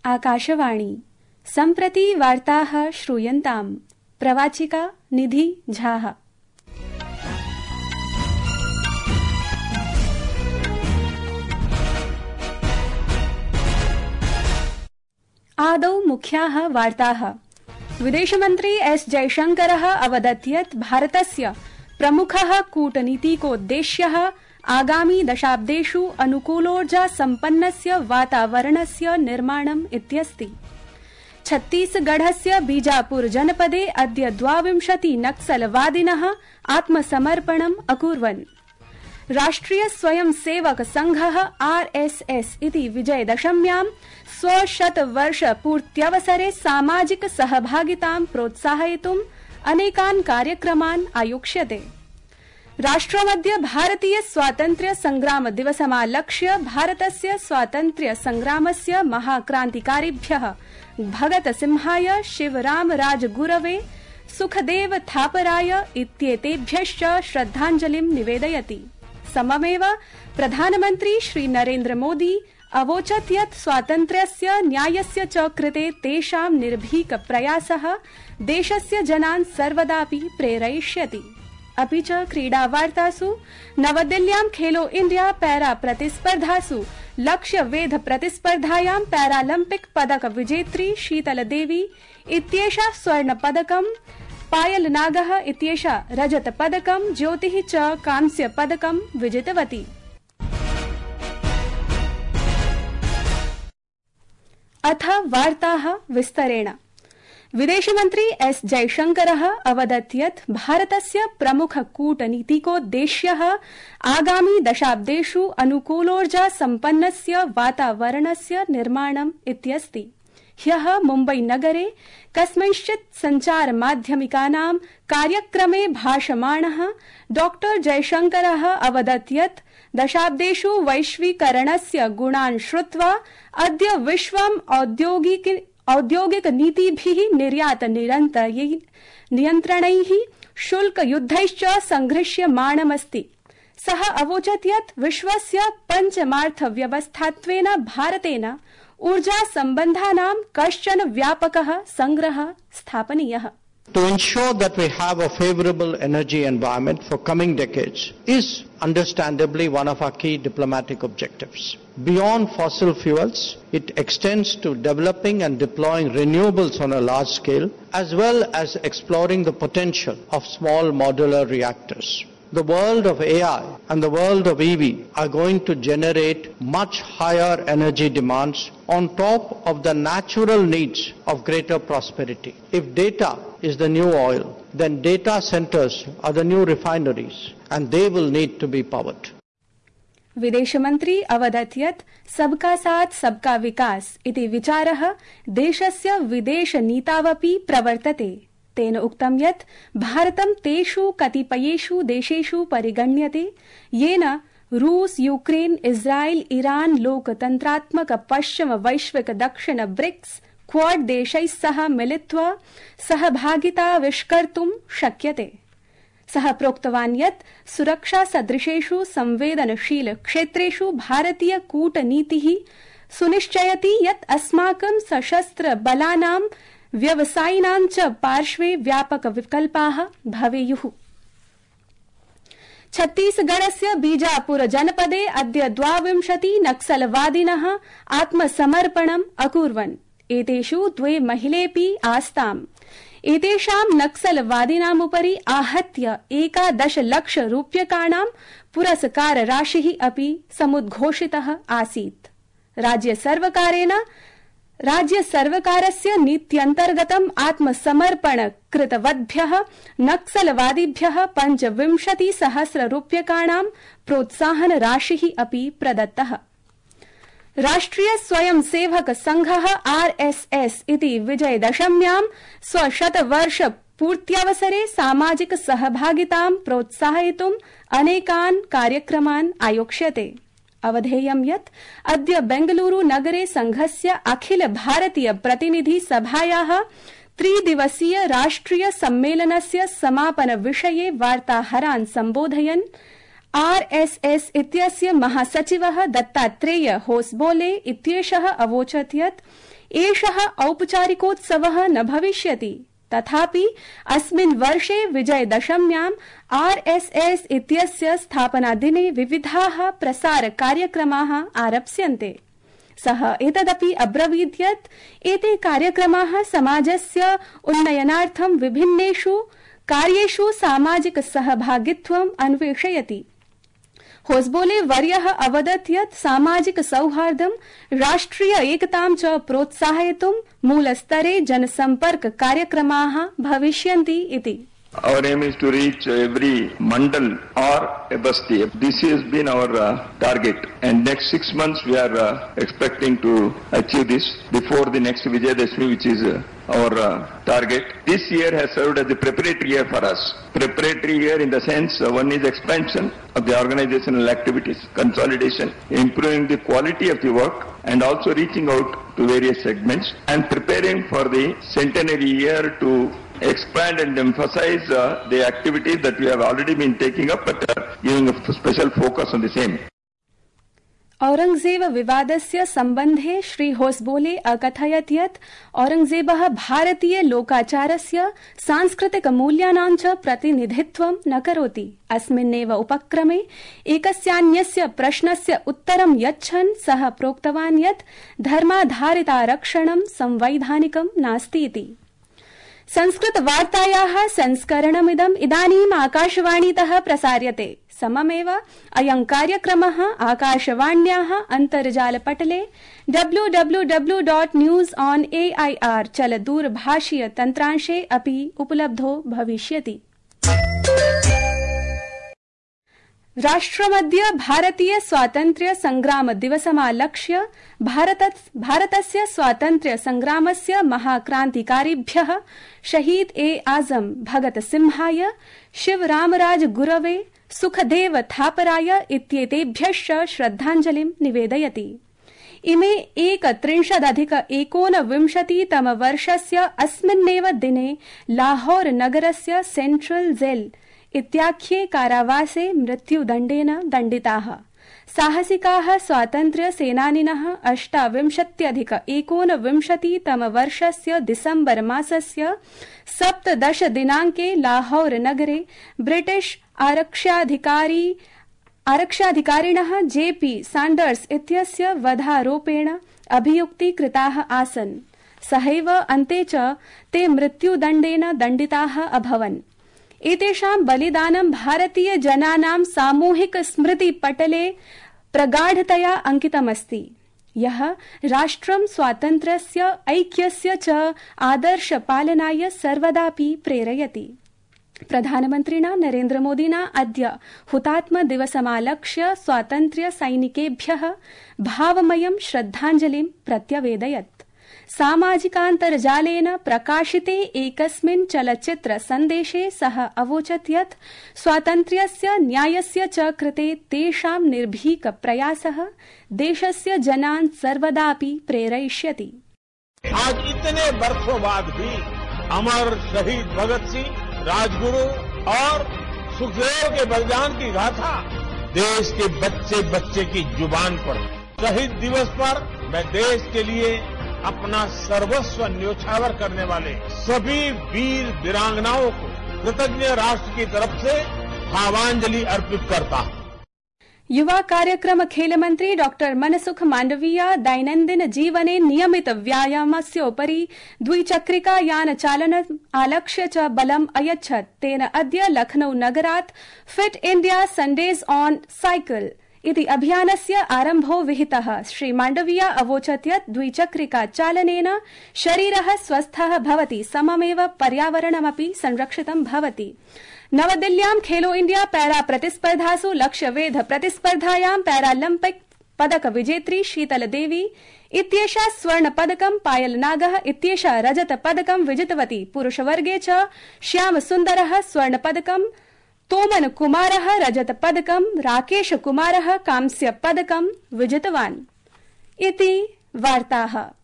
आकाशवाणी सम्प्रति वार्ताः श्रूयन्ताम्। प्रवाचिका निधि झाः। आदौ मुख्याः वार्ताः। विदेशमन्त्री एस जयशंकरः अवदत् यत् भारतस्य प्रमुखः कूटनीतिकोद्देश्यः आगामि दशाब्देषु अनुकूलोर्जा सम्पन्नस्य वातावरणस्य निर्माणम् इत्यस्ति। छत्तीसगढ़स्य बीजापुर जनपदे अद्य 22 नक्सलवादिनः आत्मसमर्पणम् अकुर्वन्। राष्ट्रिय स्वयं सेवक संघः आरएसएस इति विजयदशम्यां स्वशतवर्षपूर्त्यवसरे सामाजिक सहभागितां प्रोत्साहयितुम् अनेकान् कार्यक्रमान् आयोक्ष्यते। राष्ट्रमद्य भारतीय स्वातन्त्र्य संग्राम दिवसमालक्ष्य भारतस्य स्वातन्त्र्य संग्रामस्य महाक्रान्तिकारिभ्यः भगत सिंहाय, शिवराम राजगुरवे, सुखदेव थापराय इत्येतेभ्यश्च श्रद्धाञ्जलिं निवेदयति। सममेव प्रधानमन्त्री श्री नरेन्द्र मोदी अवोचत् यत् स्वातन्त्र्यस्य न्यायस्य च कृते तेषां निर्भीक प्रयासः देशस्य जनान् सर्वदापि प्रेरयिष्यति। अपि च क्रीडावार्तासु नवदिल्ल्यां खेलो इंडिया पैरा प्रतिस्पर्धासु लक्ष्यवेध प्रतिस्पर्धायां पैरालम्पिक पदक विजेत्री शीतल देवी इत्येषा स्वर्णपदकं, पायल नागः इत्येषा रजतपदकं, ज्योतिः च कांस्यपदकं विजितवती। अथ वार्ताः विस्तरेण। विदेशमन्त्री एस जयशंकरः अवदत् यत् भारतस्य प्रमुख कूटनीतिकोद्देश्यः आगामि दशाब्देषु अनुकूलोर्जा सम्पन्नस्य वातावरणस्य निर्माणम् इत्यस्ति। ह्यः मुम्बई नगरे कस्मिंश्चित् सञ्चार माध्यमिकानां कार्यक्रमे भाषमाणः डॉ जयशंकरः अवदत् यत् दशाब्देषु वैश्वीकरणस्य गुणान् श्रुत्वा अद्य विश्वम् औद्योगिक नीतिभिः निर्यात नियन्त्रणैः शुल्कयुद्धैश्च संघर्ष्यमाणमस्ति। सः अवोचत् यत् विश्वस्य पञ्चमार्थव्यवस्थात्वेन भारतेन ऊर्जा सम्बन्धानां कश्चन व्यापकः संग्रहः स्थापनीयः। To ensure that we have a favorable energy environment for coming decades is understandably one of our key diplomatic objectives. Beyond fossil fuels, it extends to developing and deploying renewables on a large scale, as well as exploring the potential of small modular reactors. The world of AI and the world of EV are going to generate much higher energy demands on top of the natural needs of greater prosperity. If data is the new oil, then data centers are the new refineries, and they will need to be powered. विदेशमन्त्री अवदत् यत् सबका साथ सबका विकास इति विचारः देशस्य विदेशनीतावपि प्रवर्तते। तेन उक्तं यत् भारतं तेषु कतिपयेषु देशेषु परिगण्यते येन रूस, यूक्रेन, इस्राएल, ईरान लोकतन्त्रात्मक पश्चिम वैश्विक दक्षिण ब्रिक्स क्वाड देशैः सह मिलित्वा सहभागिताविष्कर्तुं शक्यते। सः प्रोक्तवान् यत् सुरक्षा सदृशेषु संवेदनशील क्षेत्रेषु भारतीय कूटनीतिः सुनिश्चयति यत् अस्माकं सशस्त्र बलानां व्यवसायिनां च पार्श्वे व्यापक विकल्पाः भवेयुः। छत्तीसगढ़स्य बीजापुर जनपदे अद्य 22 नक्सलवादिनः आत्मसमर्पणम् अकुर्वन्। एतेषु 2 महिलेऽपि आस्ताम्। एतेषां नक्सलवादिनामुपरि आहत्य 11 लाख रूप्यकाणां पुरस्कार राशिः अपि समुद्घोषितः आसीत्। राज्य सर्वकारस्य नीत्यन्तर्गतम् आत्मसमर्पण कृतवद्भ्यः नक्सलवादिभ्यः 25,000 रूप्यकाणां प्रोत्साहन राशिः अपि प्रदत्तः। राष्ट्रिय स्वयं सेवक संघः आरएसएस इति विजयदशम्यां स्वशतवर्ष पूर्त्यवसरे सामाजिक सहभागितां प्रोत्साहयितुम् अनेकान् कार्यक्रमान् आयोक्ष्यते। अवधेयं यत् अद्य बेंगलुरु नगरे संघस्य अखिल भारतीय प्रतिनिधि सभायाः 3 दिवसीय राष्ट्रिय सम्मेलनस्य समापन विषये वार्ताहरान् सम्बोधयन् RSS इत्यस्य महासचिवः दत्तात्रेय होसबोले इत्येषः अवोचत् यत् एषः औपचारिकोत्सवः न भविष्यति, तथापि अस्मिन् वर्षे विजयदशम्यां RSS इत्यस्य स्थापनादिने विविधाः प्रसार कार्यक्रमाः आरप्स्यन्ते। सः एतदपि अब्रवीत् यत् एते कार्यक्रमाः समाजस्य उन्नयनार्थं विभिन्नेषु कार्येषु सामाजिक सहभागित्वम् अन्वेषयति। होसबोले वर्यः अवदत् यत् सामाजिक सौहार्दं, राष्ट्रिय एकतां च प्रोत्साहयितुं मूलस्तरे जनसम्पर्क कार्यक्रमाः भविष्यन्ति इति। Our aim is to reach every mandal or a basti. This has been our target, and next 6 months we are expecting to achieve this before the next Vijayadashmi, which is our target. This year has served as the preparatory year for us. Preparatory year in the sense one is expansion of the organizational activities, consolidation, improving the quality of the work, and also reaching out to various segments and preparing for the centenary year to expand and emphasize the activities that we have already been taking up, but giving a special focus on the same. Aurangzeb विवादस्य सम्बन्धे Shri Hosabale अकथयत् यत् औरंगजेबः भारतीय लोकाचारस्य सांस्कृतिक मूल्यानां च प्रतिनिधित्वं न करोति। अस्मिन्नेव उपक्रमे एकस्यान्यस्य प्रश्नस्य उत्तरं यच्छन् सः प्रोक्तवान् यत् धर्माधारितारक्षणं संवैधानिकं नास्ति इति। संस्कृत वार्तायाः संस्करणमिदम् इदानीम् आकाशवाणीतः प्रसार्यते। सममेव अयं कार्यक्रमः आकाशवाण्याः अन्तर्जालपटले www.newsonair चलदूरभाषीय तन्त्रांशे अपि उपलब्धो भविष्यति। राष्ट्रमद्य भारतीय स्वातन्त्र्य संग्राम दिवसमालक्ष्य भारतस्य स्वातन्त्र्य संग्रामस्य महाक्रान्तिकारिभ्यः शहीद ए आजम भगत सिंहाय, शिवरामराज गुरवे, सुखदेव थापराय इत्येतेभ्यश्च श्रद्धाञ्जलिं निवेदयति। इमे 31-19 अस्मिन्नेव दिने लाहौर नगरस्य सेंट्रल जेल इत्याख्ये कारावासे मृत्युदण्डेन दण्डिताः। साहसिकाः स्वातन्त्र्य सेनानिनः 28-19 दिसम्बर मासस्य 17 दिनाङ्के लाहौर नगरे ब्रिटिश आरक्षाधिकारिणः JP साण्डर्स इत्यस्य वधारोपेण अभियुक्तीकृताः आसन्। सहैव अन्ते च ते मृत्युदण्डेन दण्डिताः अभवन्। एतेषां बलिदानं भारतीय जनानां सामूहिक स्मृति पटले प्रगाढतया अंकितमस्ति, यः राष्ट्रं स्वातन्त्र्यस्य, ऐक्यस्य च आदर्श पालनाय सर्वदापि प्रेरयति। प्रधानमन्त्रिणा नरेन्द्र मोदिना अद्य हुतात्म दिवसमालक्ष्य स्वातन्त्र्य सैनिकेभ्यः भावमयं श्रद्धाञ्जलिं प्रत्यवेदयत्। सामाजिकान्तर्जालेन प्रकाशिते एकस्मिन् चलच्चित्र सन्देशे सः अवोचत् यत् स्वातन्त्र्यस्य, न्यायस्य च कृते तेषां निर्भीक प्रयासः देशस्य जनान् सर्वदापि प्रेरयिष्यति। आज इतने वर्षों बाद भी अमर शहीद भगत सिंह, राजगुरु और सुखदेव के बलिदान की गाथा देश के बच्चे बच्चे की जुबान पर। शहीद दिवस पर मैं देश के लिए अपना सर्वस्व न्योछावर करने वाले सभी वीर वीरांगनाओं को कृतज्ञ राष्ट्र की तरफ से भावांजलि अर्पित करता हूं। युवा कार्यक्रम खेल मंत्री डॉक्टर मनसुख मांडविया दैनन्दिन जीवने नियमित व्यायामस्योपरि द्विचक्रिका यान चालनम् आलक्ष्य च बलम् अयच्छत्। तेन अद्य लखनऊ नगरात् fit India Sundays on cycle इति अभियानस्य आरम्भो विहितः। श्री मांडविया अवोचत् यत् द्विचक्रिका चालनेन शरीरः स्वस्थः भवति, सममेव पर्यावरणमपि संरक्षितं भवति। नवदिल्ल्यां खेलो इंडिया पैरा प्रतिस्पर्धासु लक्ष्यवेध प्रतिस्पर्धायां पैरालम्पिक पदक विजेत्री शीतल देवी इत्येषा स्वर्ण पदकं, पायल नागः इत्येषा रजत पदकं विजितवती। पुरुषवर्गे च श्याम सुन्दरः स्वर्ण पदकं, तोमन कुमारः रजत पदकं, राकेश कुमारः कांस्य पदकं विजितवान्। इति वार्ताः।